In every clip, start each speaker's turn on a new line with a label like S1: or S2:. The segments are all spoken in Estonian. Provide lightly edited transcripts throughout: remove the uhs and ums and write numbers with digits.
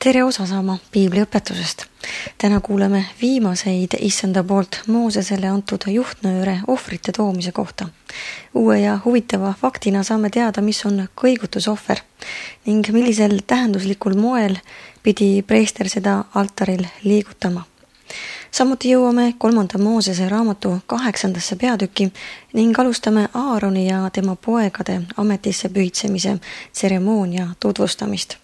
S1: Tere osa saama piibliõpetusest. Täna kuuleme viimaseid issanda poolt Moosesele antud juhtnööre ohvrite toomise kohta. Uue ja huvitava faktina saame teada, mis on kõigutusohver ning millisel tähenduslikul moel pidi preester seda altaril liigutama. Samuti jõuame 3. Moosese raamatu 8. peatüki ning alustame Aaroni ja tema poegade ametisse pühitsemise tseremoonia tutvustamist.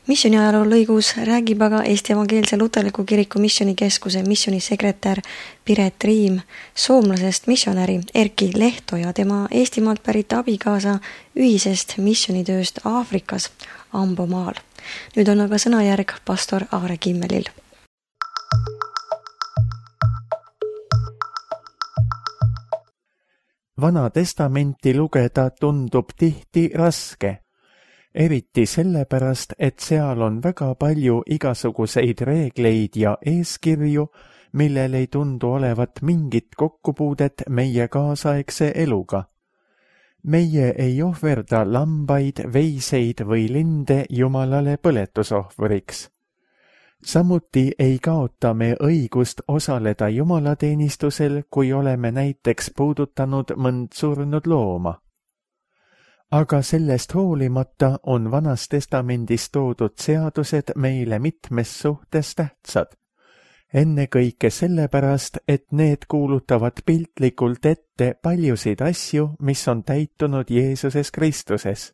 S1: Missioni ajaloo lõigus räägib aga Eesti Evangeelse Luterliku Kiriku missionikeskuse missionisekretär Piret Riim soomlasest missionäri Erki Lehto ja tema Eestimaalt pärit abikaasa ühisest missionitööst Aafrikas Ambomaal. Nüüd on aga sõnajärg pastor Aare Kimmelil.
S2: Vana testamenti lugeda tundub tihti raske. Eriti sellepärast, et seal on väga palju igasuguseid reegleid ja eeskirju, millel ei tundu olevat mingit kokkupuudet meie kaasaegse eluga. Meie ei ohverda lambaid, veiseid või linde Jumalale põletusohvriks. Samuti ei kaota me õigust osaleda jumalateenistusel, kui oleme näiteks puudutanud mõnd surnud looma. Aga sellest hoolimata on Vanas Testamendis toodud seadused meile mitmes suhtes tähtsad. Ennekõike sellepärast, et need kuulutavad piltlikult ette paljusid asju, mis on täitunud Jeesuses Kristuses.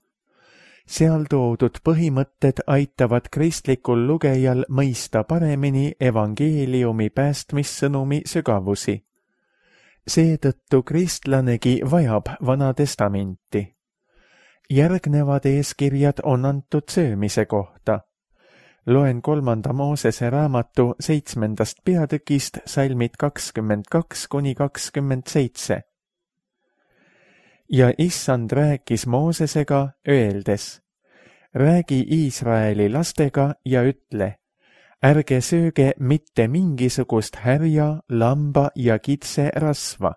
S2: Seal toodud põhimõtted aitavad kristlikul lugejal mõista paremini evangeeliumi päästmissõnumi sügavusi. Seetõttu kristlanegi vajab Vana Testamenti. Järgnevad eeskirjad on antud söömise kohta. Loen 3. Moosese raamatu 7. peatükist salmid 22–27. Ja issand rääkis Moosesega öeldes, räägi Iisraeli lastega ja ütle, ärge sööge mitte mingisugust härja, lamba ja kitse rasva.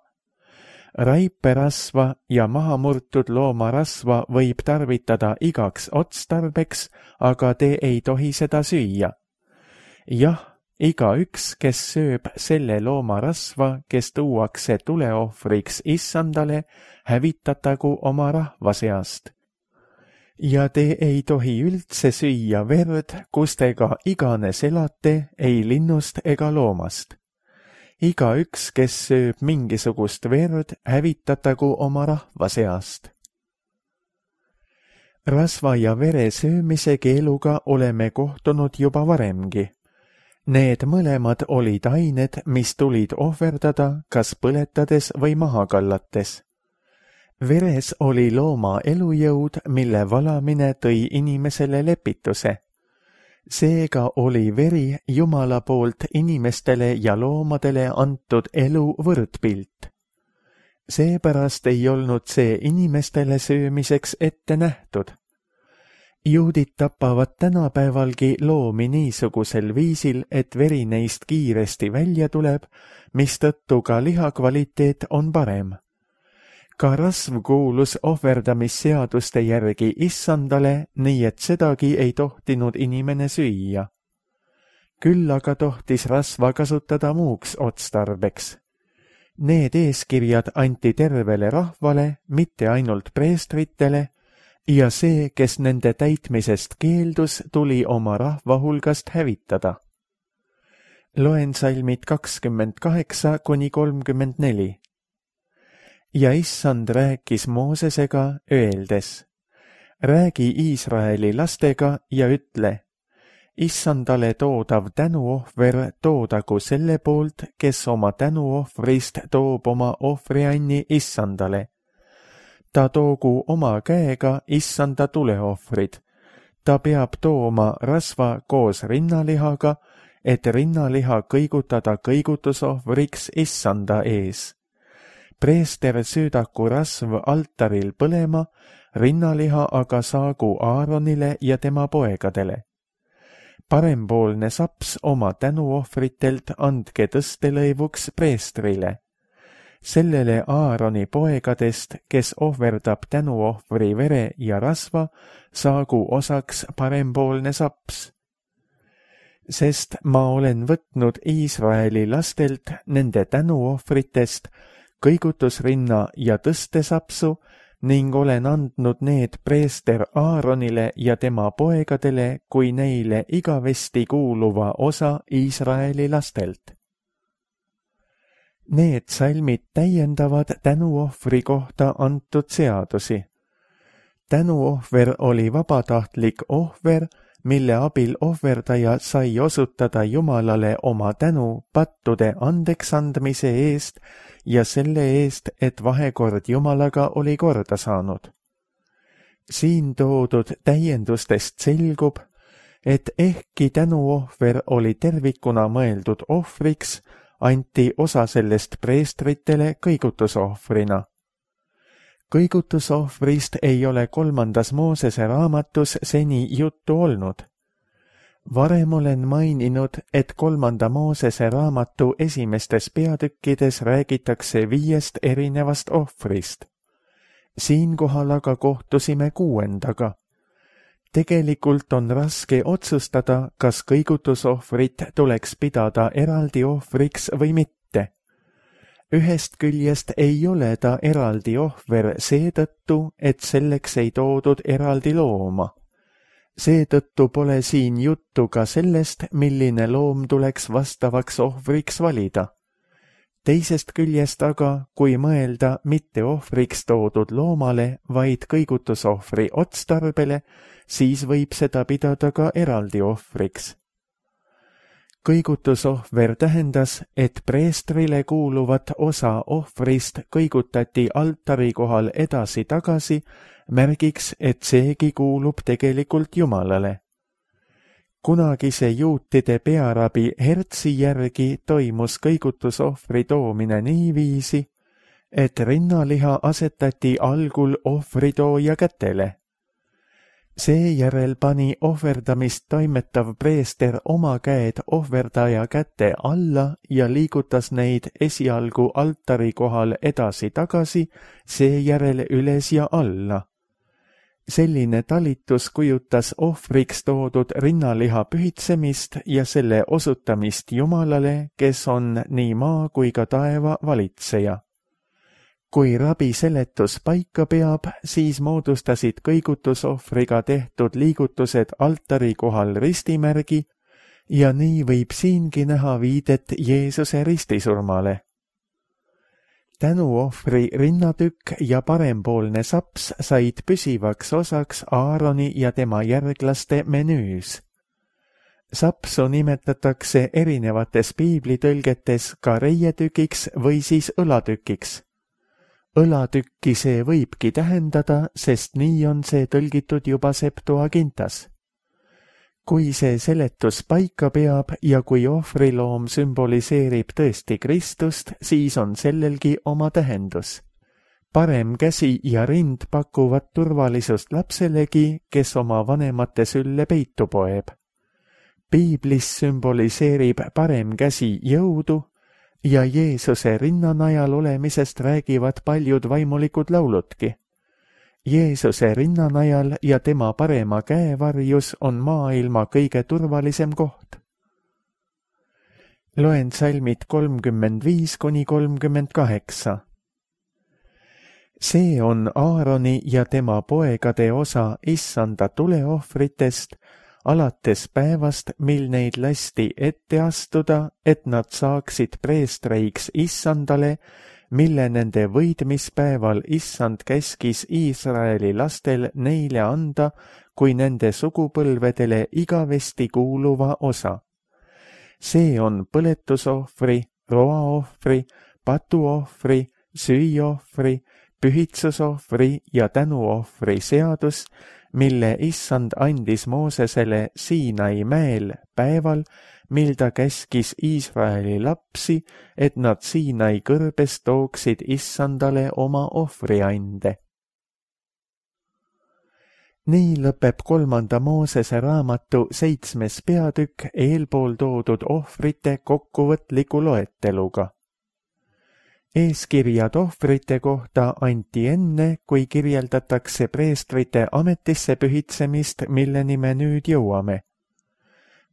S2: Raiperasva ja mahamurtud loomarasva võib tarvitada igaks otstarbeks, aga te ei tohi seda süüa. Jah, igaüks, kes sööb selle loomarasva, kes tuuakse tuleohvriks issandale, hävitatagu oma rahva seast. Ja te ei tohi üldse süüa verd, kustega iganes elate, ei linnust ega loomast. Igaüks, kes sööb mingisugust verd, hävitatagu oma rahva seast. Rasva ja vere söömise keeluga oleme kohtunud juba varemgi. Need mõlemad olid ained, mis tulid ohverdada kas põletades või maha kallates. Veres oli looma elujõud, mille valamine tõi inimesele lepituse. Seega oli veri Jumala poolt inimestele ja loomadele antud elu võrdpilt. Seepärast ei olnud see inimestele söömiseks ette nähtud. Juudid tapavad tänapäevalgi loomi niisugusel viisil, et veri neist kiiresti välja tuleb, mistõttu ka liha kvaliteet on parem. Ka rasv kuulus ohverdamisseaduste järgi issandale, nii et sedagi ei tohtinud inimene süüa. Küll aga tohtis rasva kasutada muuks otstarbeks. Need eeskirjad anti tervele rahvale, mitte ainult preestritele, ja see, kes nende täitmisest keeldus, tuli oma rahva hulgast hävitada. Loen salmid 28–34. Ja issand rääkis Moosesega öeldes, räägi Iisraeli lastega ja ütle, issandale toodav tänuohver toodagu selle poolt, kes oma tänuohvrist toob oma ohvrianni issandale. Ta toogu oma käega issanda tuleohvrid. Ta peab tooma rasva koos rinnalihaga, et rinnaliha kõigutada kõigutusohvriks issanda ees. Preester söödaku rasv altaril põlema, rinnaliha aga saagu Aaronile ja tema poegadele. Parempoolne saps oma tänuohvritelt andke tõstelõivuks preestrile. Sellele Aaroni poegadest, kes ohverdab tänuohvri vere ja rasva, saagu osaks parempoolne saps. sest ma olen võtnud Iisraeli lastelt nende tänuohvritest kõigutusrinna ja tõstesapsu ning olen andnud need preester Aaronile ja tema poegadele kui neile igavesti kuuluva osa Iisraeli lastelt. Need salmid täiendavad tänuohvri kohta antud seadusi. Tänuohver oli vabatahtlik ohver, mille abil ohverdaja sai osutada Jumalale oma tänu pattude andeksandmise eest ja selle eest, et vahekord Jumalaga oli korda saanud. Siin toodud täiendustest selgub, et ehkki tänuohver oli tervikuna mõeldud ohvriks, anti osa sellest preestritele kõigutusohvrina. Kõigutusohvrist ei ole 3. Moosese raamatus seni juttu olnud. Varem olen maininud, et 3. Moosese raamatu esimestes peatükkides räägitakse 5 erinevast ohvrist. Siinkohal aga kohtusime 6. Tegelikult on raske otsustada, kas kõigutusohvrit tuleks pidada eraldi ohvriks või mitte. Ühest küljest ei ole ta eraldi ohver seetõttu, et selleks ei toodud eraldi looma. Seetõttu pole siin juttu ka sellest, milline loom tuleks vastavaks ohvriks valida. Teisest küljest aga, kui mõelda mitte ohvriks toodud loomale, vaid kõigutusohvri otstarbele, siis võib seda pidada ka eraldi ohvriks. Kõigutusohver tähendas, et preestrile kuuluvat osa ohvrist kõigutati altari kohal edasi-tagasi, märgiks, et seegi kuulub tegelikult Jumalale. Kunagise juutide pearabi Hertsi järgi toimus kõigutusohvri toomine niiviisi, et rinnaliha asetati algul ohvritooja kätele. Seejärel pani ohverdamist toimetav preester oma käed ohverdaja käte alla ja liigutas neid esialgu altari kohal edasi-tagasi, seejärel üles ja alla. Selline talitus kujutas ohvriks toodud rinnaliha pühitsemist ja selle osutamist Jumalale, kes on nii maa kui ka taeva valitseja. Kui rabi seletus paika peab, siis moodustasid kõigutusohvriga tehtud liigutused altari kohal ristimärgi ja nii võib siingi näha viidet Jeesuse ristisurmale. Tänuohvri rinnatükk ja parempoolne saps said püsivaks osaks Aaroni ja tema järglaste menüüs. Sapsu nimetatakse erinevates piiblitõlgetes ka reietükiks või siis õlatükiks. Õlatükki see võibki tähendada, sest nii on see tõlgitud juba Septuagintas. Kui see seletus paika peab ja kui ohvriloom sümboliseerib tõesti Kristust, siis on sellelgi oma tähendus. Parem käsi ja rind pakuvad turvalisust lapselegi, kes oma vanemate sülle peitu poeb. Piiblis sümboliseerib parem käsi jõudu, ja Jeesuse rinnanajal olemisest räägivad paljud vaimulikud lauludki. Jeesuse rinnanajal ja tema parema käe varjus on maailma kõige turvalisem koht. Loen salmid 35–38. See on Aaroni ja tema poegade osa issanda tuleohvritest, alates päevast, mil neid lasti ette astuda, et nad saaksid preestreiks issandale, mille nende võidmispäeval issand käskis Iisraeli lastel neile anda kui nende sugupõlvedele igavesti kuuluva osa. See on põletusohvri, roaohvri, patuohvri, süüohvri, pühitsusohvri ja tänuohvri seadus, mille issand andis Moosesele Siinai mäel päeval, mil ta käskis Iisraeli lapsi, et nad Siinai kõrbes tooksid issandale oma ohvriande. Nii lõpeb 3. Moosese raamatu 7. peatükk eelpool toodud ohvrite kokkuvõtliku loeteluga. Eeskirjad ohvrite kohta anti enne, kui kirjeldatakse preestrite ametisse pühitsemist, milleni me nüüd jõuame.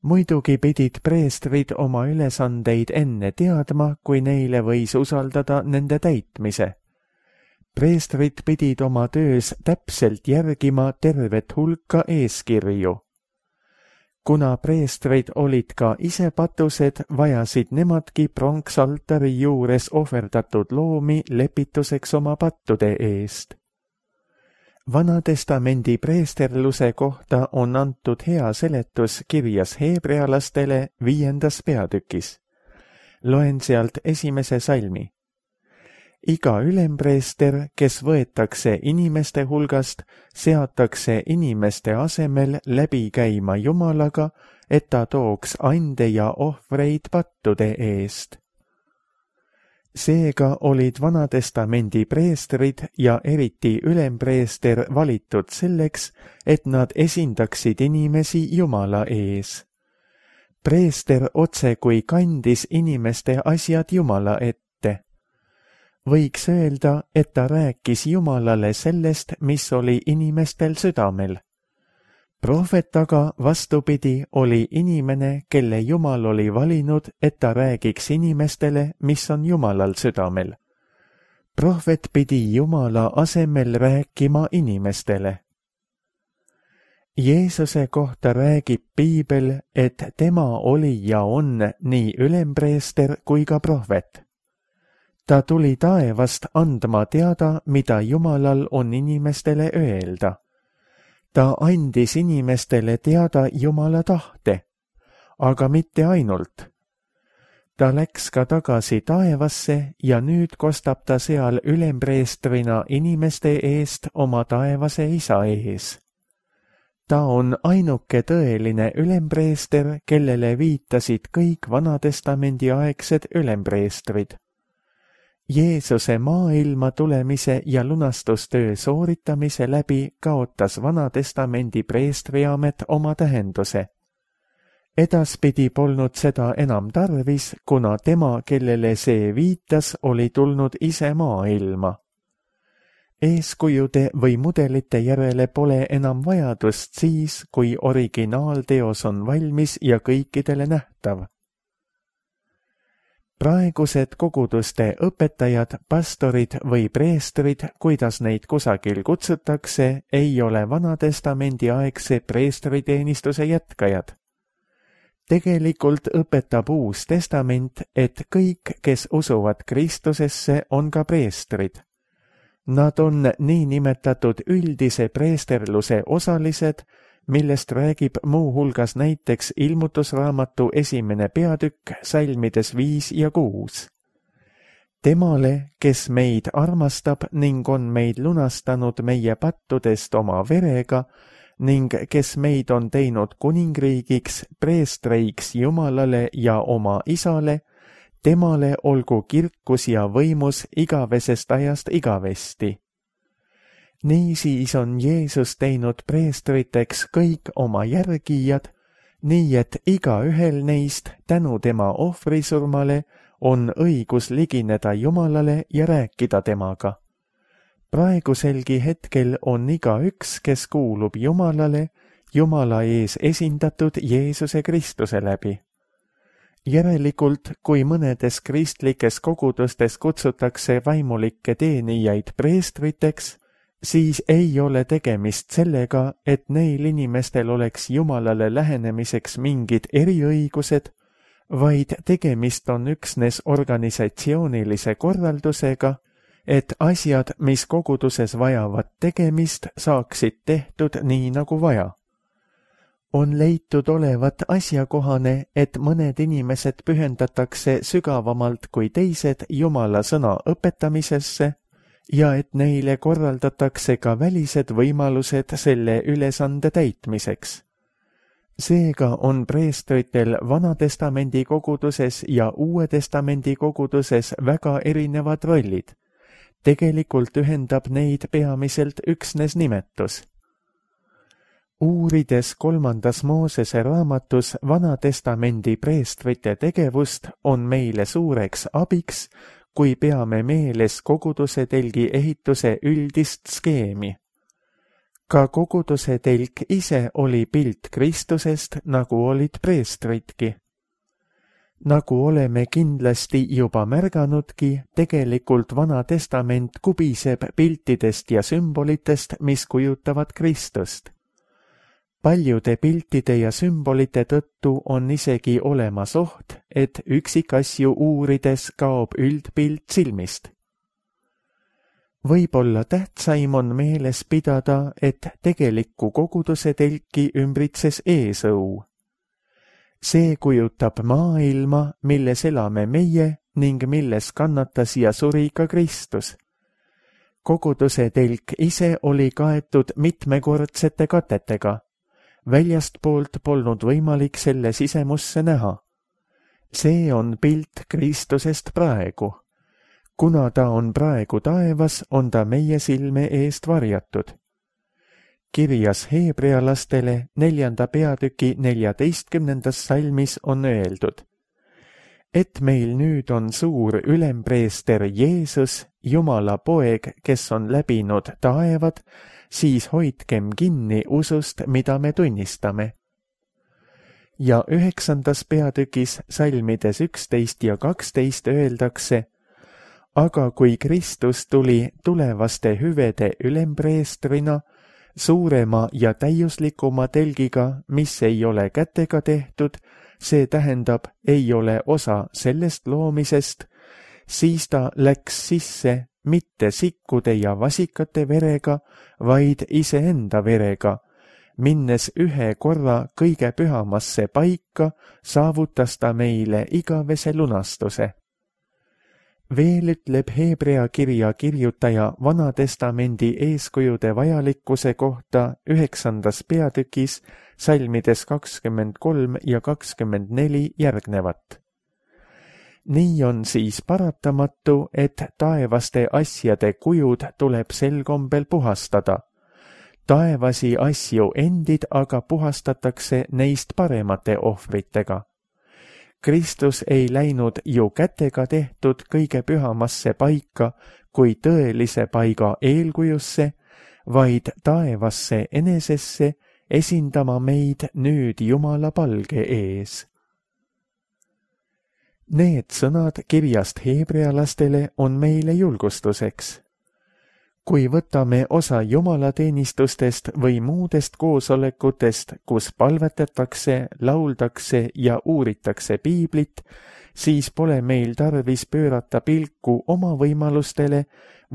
S2: muidugi pidid preestrid oma ülesandeid enne teadma, kui neile võis usaldada nende täitmise. Preestrid pidid oma töös täpselt järgima tervet hulka eeskirju. Kuna preestrid olid ka ise patused, vajasid nemadki pronksaltari juures ohverdatud loomi lepituseks oma pattude eest. Vanatestamendi preesterluse kohta on antud hea seletus kirjas heebrealastele 5. peatükis. Loen sealt 1. salmi. Iga ülempreester, kes võetakse inimeste hulgast, seatakse inimeste asemel läbi käima Jumalaga, et ta tooks ande ja ohvreid pattude eest. Seega olid Vanatestamendi preestrid ja eriti ülempreester valitud selleks, et nad esindaksid inimesi Jumala ees. Preester otsekui kandis inimeste asjad Jumala ette. Võiks öelda, et ta rääkis Jumalale sellest, mis oli inimestel südamel. Prohvet aga vastupidi oli inimene, kelle Jumal oli valinud, et ta räägiks inimestele, mis on Jumalal südamel. Prohvet pidi Jumala asemel rääkima inimestele. Jeesuse kohta räägib Piibel, et tema oli ja on nii ülempreester kui ka prohvet. Ta tuli taevast andma teada, mida Jumalal on inimestele öelda. Ta andis inimestele teada Jumala tahte, aga mitte ainult. Ta läks ka tagasi taevasse ja nüüd kostab ta seal ülempreestrina inimeste eest oma taevase isa ees. Ta on ainuke tõeline ülempreester, kellele viitasid kõik Vanatestamendi aegsed ülempreestrid. Jeesuse maailma tulemise ja lunastustöö sooritamise läbi kaotas Vanatestamendi preestriamet oma tähenduse. Edaspidi polnud seda enam tarvis, kuna tema, kellele see viitas, oli tulnud ise maailma. Eeskujude või mudelite järele pole enam vajadust siis, kui originaalteos on valmis ja kõikidele nähtav. Praegused koguduste õpetajad, pastorid või preestrid, kuidas neid kusagil kutsutakse, ei ole Vanatestamendi aegse preestriteenistuse jätkajad. Tegelikult õpetab Uus Testament, et kõik, kes usuvad Kristusesse, on ka preestrid. Nad on niinimetatud üldise preesterluse osalised, millest räägib muu hulgas näiteks Ilmutusraamatu 1. peatükk salmides 5 ja 6. Temale, kes meid armastab ning on meid lunastanud meie pattudest oma verega ning kes meid on teinud kuningriigiks, preestreiks Jumalale ja oma Isale, temale olgu kirkus ja võimus igavesest ajast igavesti. Niisiis on Jeesus teinud preestriteks kõik oma järgijad, nii et igaühel neist tänu tema ohvrisurmale on õigus ligineda Jumalale ja rääkida temaga. Praeguselgi hetkel on igaüks, kes kuulub Jumalale, Jumala ees esindatud Jeesuse Kristuse läbi. Järelikult, kui mõnedes kristlikes kogudustes kutsutakse vaimulikke teenijaid preestriteks, siis ei ole tegemist sellega, et neil inimestel oleks Jumalale lähenemiseks mingid eriõigused, vaid tegemist on üksnes organisatsioonilise korraldusega, et asjad, mis koguduses vajavad tegemist, saaksid tehtud nii nagu vaja. On leitud olevat asjakohane, et mõned inimesed pühendatakse sügavamalt kui teised Jumala sõna õpetamisesse, ja et neile korraldatakse ka välised võimalused selle ülesande täitmiseks. Seega on preestritel Vanatestamendi koguduses ja Uue Testamendi koguduses väga erinevad rollid. Tegelikult ühendab neid peamiselt üksnes nimetus. Uurides 3. Moosese raamatus Vanatestamendi preestrite tegevust, on meile suureks abiks, kui peame meeles koguduse telgi ehituse üldist skeemi. Ka koguduse telk ise oli pilt Kristusest, nagu olid preestritki. Nagu oleme kindlasti juba märganudki, tegelikult Vana Testament kubiseb piltidest ja sümbolitest, mis kujutavad Kristust. Paljude piltide ja sümbolite tõttu on isegi olemas oht, et üksikasju uurides kaob üldpilt silmist. Võib-olla tähtsaim on meeles pidada, et tegelikku koguduse telki ümbritses eesõu. See kujutab maailma, milles elame meie ning milles kannatas ja suri ka Kristus. Koguduse telk ise oli kaetud mitmekordsete katetega. Väljastpoolt polnud võimalik selle sisemusse näha. See on pilt Kristusest praegu. Kuna ta on praegu taevas, on ta meie silme eest varjatud. Kirjas heebrealastele 4. peatüki 14. salmis on öeldud, et meil nüüd on suur ülempreester Jeesus, Jumala poeg, kes on läbinud taevad, siis hoidkem kinni usust, mida me tunnistame. Ja 9. peatükis salmides 11 ja 12 öeldakse, aga kui Kristus tuli tulevaste hüvede ülempreestrina, suurema ja täiuslikuma telgiga, mis ei ole kätega tehtud, see tähendab, ei ole osa sellest loomisest, siis ta läks sisse mitte sikkude ja vasikate verega, vaid iseenda verega. Minnes ühe korra kõige pühamasse paika, saavutas ta meile igavese lunastuse. Veel ütleb Hebrea kirja kirjutaja Vana Testamendi eeskujude vajalikkuse kohta 9. peatükis salmides 23 ja 24 järgnevat. Nii on siis paratamatu, et taevaste asjade kujud tuleb sel kombel puhastada. Taevasi asju endid aga puhastatakse neist paremate ohvritega. Kristus ei läinud ju kätega tehtud kõige pühamasse paika kui tõelise paiga eelkujusse, vaid taevasse enesesse esindama meid nüüd Jumala palge ees. Need sõnad kirjast heebrealastele on meile julgustuseks. Kui võtame osa jumalateenistustest või muudest koosolekutest, kus palvetatakse, lauldakse ja uuritakse piiblit, siis pole meil tarvis pöörata pilku oma võimalustele,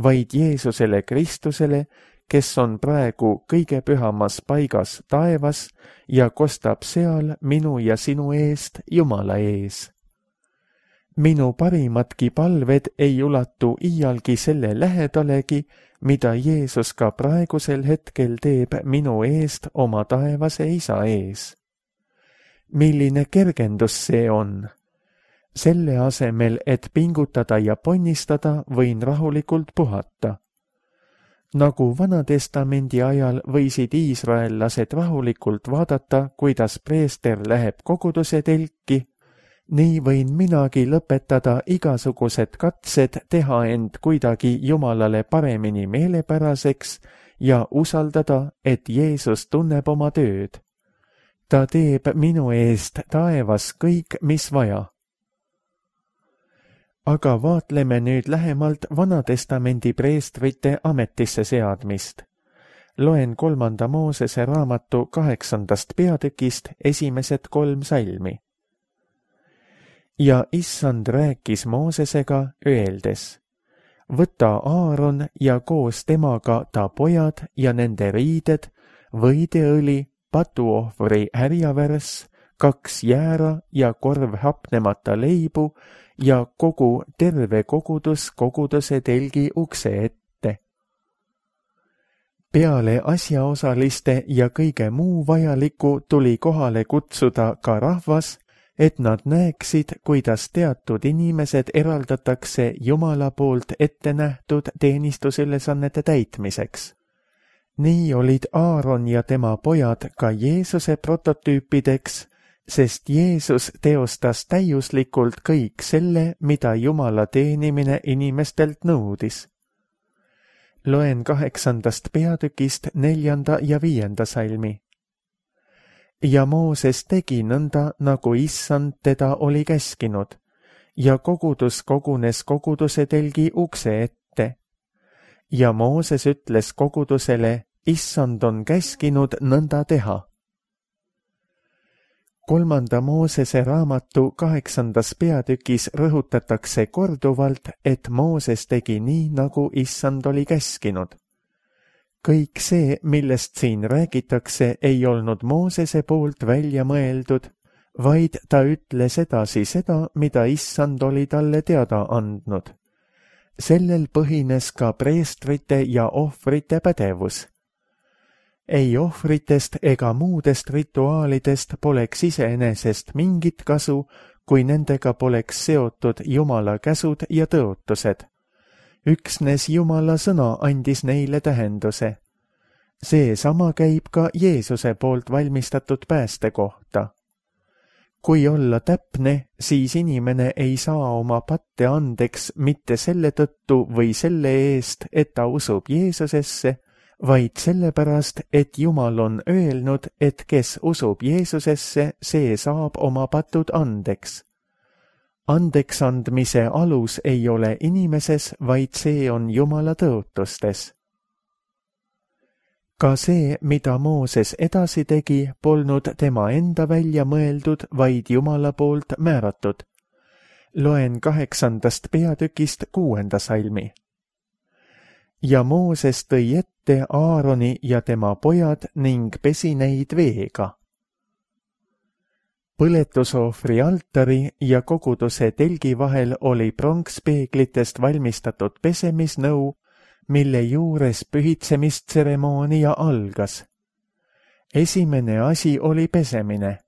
S2: vaid Jeesusele Kristusele, kes on praegu kõige pühamas paigas taevas ja kostab seal minu ja sinu eest Jumala ees. Minu parimadki palved ei ulatu iialgi selle lähedalegi, mida Jeesus ka praegusel hetkel teeb minu eest oma taevase Isa ees. Milline kergendus see on? Selle asemel, et pingutada ja ponnistada, võin rahulikult puhata. Nagu Vana-testamendi ajal võisid iisraellased rahulikult vaadata, kuidas preester läheb koguduse telki, nii võin minagi lõpetada igasugused katsed teha end kuidagi Jumalale paremini meelepäraseks ja usaldada, et Jeesus tunneb oma tööd. Ta teeb minu eest taevas kõik, mis vaja. Aga vaatleme nüüd lähemalt Vana-testamendi preestrite ametisse seadmist. Loen 3. Moosese raamatu 8. peatükist esimesed 3 salmi. Ja Issand rääkis Moosesega, öeldes, võta Aaron ja koos temaga ta pojad ja nende riided, võideõli, patuohvri härjavärss, 2 jäära ja korv hapnemata leibu ja kogu terve kogudus koguduse telgi ukse ette. Peale asjaosaliste ja kõige muu vajaliku tuli kohale kutsuda ka rahvas, et nad näeksid, kuidas teatud inimesed eraldatakse Jumala poolt ette nähtud teenistusülesannete täitmiseks. Nii olid Aaron ja tema pojad ka Jeesuse prototüüpideks, sest Jeesus teostas täiuslikult kõik selle, mida Jumala teenimine inimestelt nõudis. Loen 8. peatükist 4. ja 5. salmi. Ja Mooses tegi nõnda, nagu Issand teda oli käskinud, ja kogudus kogunes koguduse telgi ukse ette. Ja Mooses ütles kogudusele, Issand on käskinud nõnda teha. 3. Moosese raamatu 8. peatükis rõhutatakse korduvalt, et Mooses tegi nii, nagu Issand oli käskinud. Kõik see, millest siin räägitakse, ei olnud Moosese poolt välja mõeldud, vaid ta ütles edasi seda, mida Issand oli talle teada andnud. Sellel põhines ka preestrite ja ohvrite pädevus. Ei ohvritest ega muudest rituaalidest poleks iseenesest mingit kasu, kui nendega poleks seotud Jumala käsud ja tõotused. Üksnes Jumala sõna andis neile tähenduse. Seesama käib ka Jeesuse poolt valmistatud pääste kohta. Kui olla täpne, siis inimene ei saa oma patte andeks mitte selle tõttu või selle eest, et ta usub Jeesusesse, vaid sellepärast, et Jumal on öelnud, et kes usub Jeesusesse, see saab oma patud andeks. Andeks andmise alus ei ole inimeses, vaid see on Jumala tõotustes. Ka see, mida Mooses edasi tegi, polnud tema enda välja mõeldud, vaid Jumala poolt määratud. Loen 8. peatükist 6. salmi. Ja Mooses tõi ette Aaroni ja tema pojad ning pesi neid veega. Põletusohvri altari ja koguduse telgi vahel oli pronkspeeglitest valmistatud pesemisnõu, mille juures pühitsemistseremoonia algas. Esimene asi oli pesemine.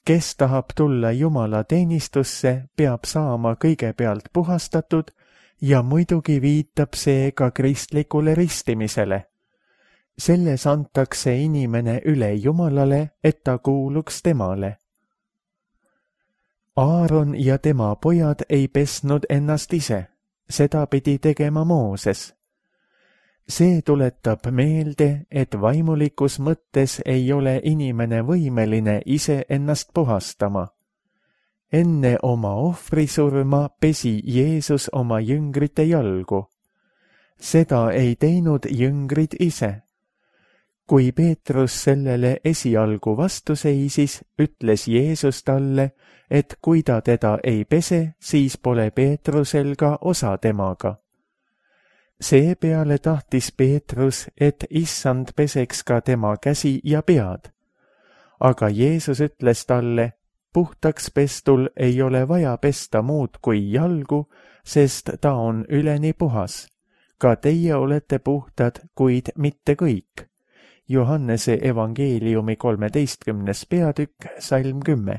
S2: Kes tahab tulla Jumala teenistusse, peab saama kõigepealt puhastatud ja muidugi viitab see ka kristlikule ristimisele. Selles antakse inimene üle Jumalale, et ta kuuluks temale. Aaron ja tema pojad ei pesnud ennast ise, seda pidi tegema Mooses. See tuletab meelde, et vaimulikus mõttes ei ole inimene võimeline ise ennast puhastama. Enne oma ohvrisurma pesi Jeesus oma jüngrite jalgu. Seda ei teinud jüngrid ise. Kui Peetrus sellele esialgu vastu seisis, ütles Jeesus talle, et kui ta teda ei pese, siis pole Peetrusel ka osa temaga. Seepeale tahtis Peetrus, et Issand peseks ka tema käsi ja pead. Aga Jeesus ütles talle, puhtaks pestul ei ole vaja pesta muud kui jalgu, sest ta on üleni puhas. Ka teie olete puhtad, kuid mitte kõik. Johannese evangeeliumi 13. peatükk, salm 10.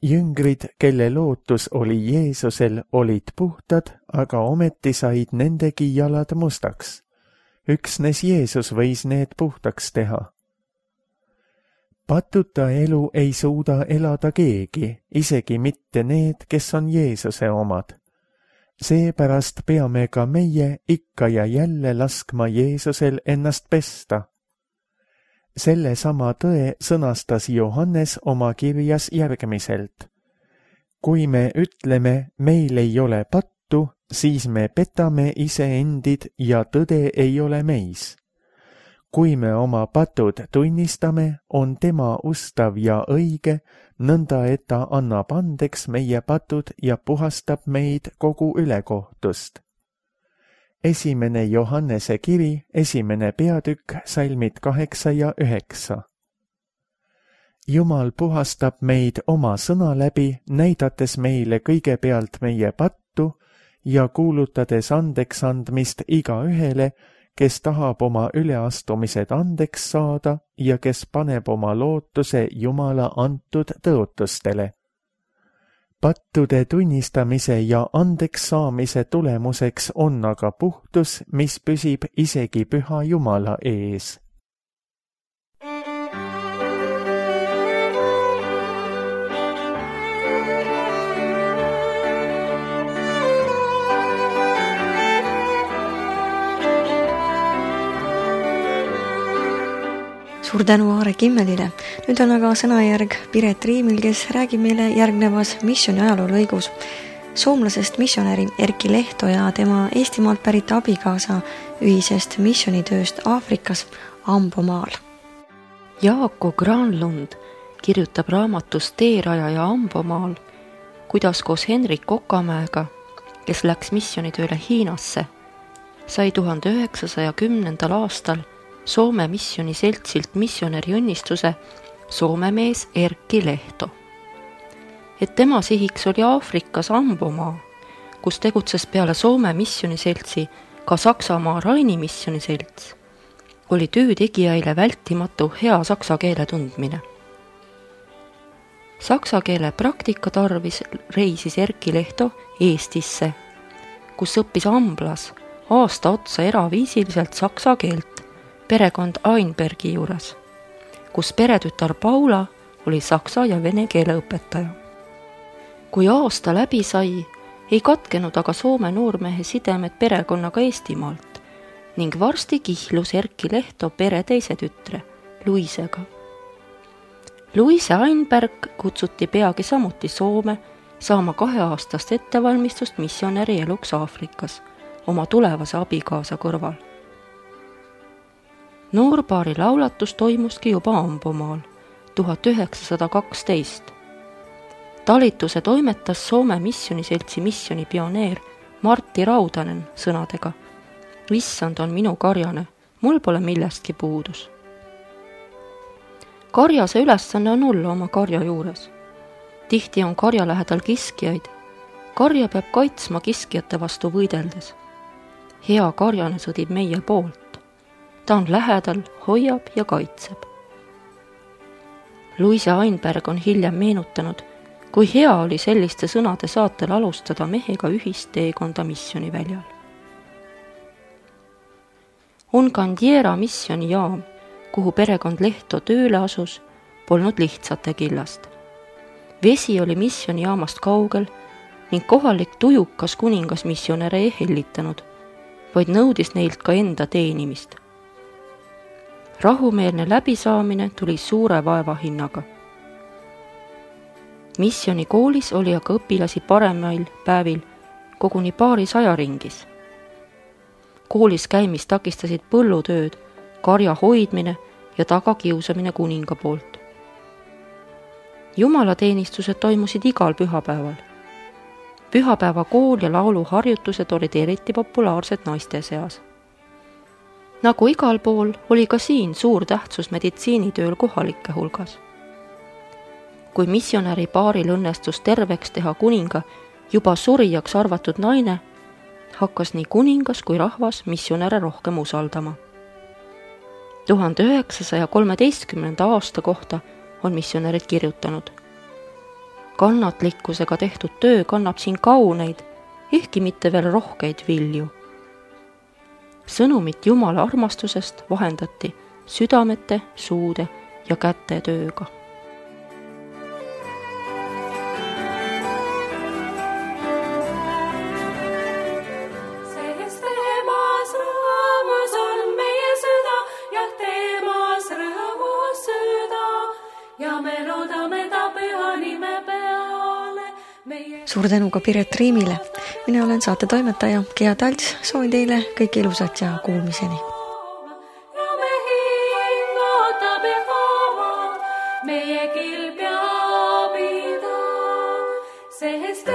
S2: Jüngrid, kelle lootus oli Jeesusel, olid puhtad, aga ometi said nendegi jalad mustaks. Üksnes Jeesus võis need puhtaks teha. Patuta elu ei suuda elada keegi, isegi mitte need, kes on Jeesuse omad. Seepärast peame ka meie ikka ja jälle laskma Jeesusel ennast pesta. Selle sama tõe sõnastas Johannes oma kirjas järgmiselt. Kui me ütleme, meil ei ole pattu, siis me petame iseendid ja tõde ei ole meis. Kui me oma patud tunnistame, on tema ustav ja õige, nõnda et ta annab andeks meie patud ja puhastab meid kogu ülekohtust. 1. Johannese kiri, 1. peatükk, salmid 8 ja 9. Jumal puhastab meid oma sõna läbi, näidates meile kõigepealt meie pattu ja kuulutades andeks andmist igaühele, kes tahab oma üleastumised andeks saada ja kes paneb oma lootuse Jumala antud tõotustele. Pattude tunnistamise ja andeks saamise tulemuseks on aga puhtus, mis püsib isegi püha Jumala ees.
S1: Suur tänu Aare Kimmelile. Nüüd on aga sõnajärg Piret Riimil, kes räägib meile järgnevas missiooni ajaloolõigus soomlasest missionäri Erkki Lehto ja tema Eestimaalt pärit abikaasa ühisest missionitööst Aafrikas Ambomaal.
S3: Jaako Granlund kirjutab raamatus Teerajaja Ambomaal, kuidas koos Henrik Kokamäega, kes läks missionitööle Hiinasse, sai 1910. aastal Soome missioniseltsilt missionäri õnnistuse Soome mees Erkki Lehto. Et tema sihiks oli Aafrikas Ambomaa, kus tegutses peale Soome missioniseltsi ka Saksamaa Raini missioniselts, oli töötegijaile vältimatu hea saksa keele tundmine. Saksa keele praktika tarvis reisis Erkki Lehto Eestisse, kus õppis Amblas aasta otsa eraviisiliselt saksa keelt perekond Einbergi juures, kus peretütar Paula oli saksa ja vene keele õpetaja. Kui aasta läbi sai, ei katkenud aga Soome noormehe sidemed perekonnaga Eestimaalt ning varsti kihlus Erkki Lehto pere teise tütre, Luisega. Luise Einberg kutsuti peagi samuti Soome saama 2-aastast ettevalmistust missionäri eluks Aafrikas oma tulevase abikaasa kõrval. Noorpaari laulatus toimuski juba Ambomaal 1912. Talituse toimetas Soome missioniseltsi missionipioneer Martti Raudanen sõnadega: "Issand on minu karjane, mul pole millestki puudus." Karjase ülesanne on olla oma karja juures. Tihti on karja lähedal kiskijaid. Karja peab kaitsma kiskjate vastu võideldes. Hea karjane sõdib meie poolt. Ta on lähedal, hoiab ja kaitseb. Luise Einberg on hiljem meenutanud, kui hea oli selliste sõnade saatel alustada mehega ühist teekonda missioniväljal. Ongandiera missionijaam, kuhu perekond Lehto tööle asus, polnud lihtsate killast. Vesi oli missionijaamast kaugel ning kohalik tujukas kuningas missionäre ei hellitanud, vaid nõudis neilt ka enda teenimist. Rahumeelne läbisaamine tuli suure vaeva hinnaga. Missionikoolis oli aga õpilasi paremail päevil koguni 200 ringis. Koolis käimist takistasid põllutööd, karja hoidmine ja tagakiusamine kuninga poolt. Jumalateenistused toimusid igal pühapäeval. Pühapäeva kool ja lauluharjutused olid eriti populaarsed naiste seas. Nagu igal pool oli ka siin suur tähtsus meditsiinitööl kohalike hulgas. Kui missionäri paaril õnnestus terveks teha kuninga juba surijaks arvatud naine, hakkas nii kuningas kui rahvas missionäre rohkem usaldama. 1913. aasta kohta on missionärid kirjutanud: kannatlikkusega tehtud töö kannab siin kauneid, ehkki mitte veel rohkeid vilju. Sõnumit Jumala armastusest vahendati südamete, suude ja käte tööga.
S1: Suur tänu ka Piret Riimile. Mina olen saate toimetaja Gea Talts. Soovin teile kõike ilusat ja kuulmiseni. Meie kilpja pida, sest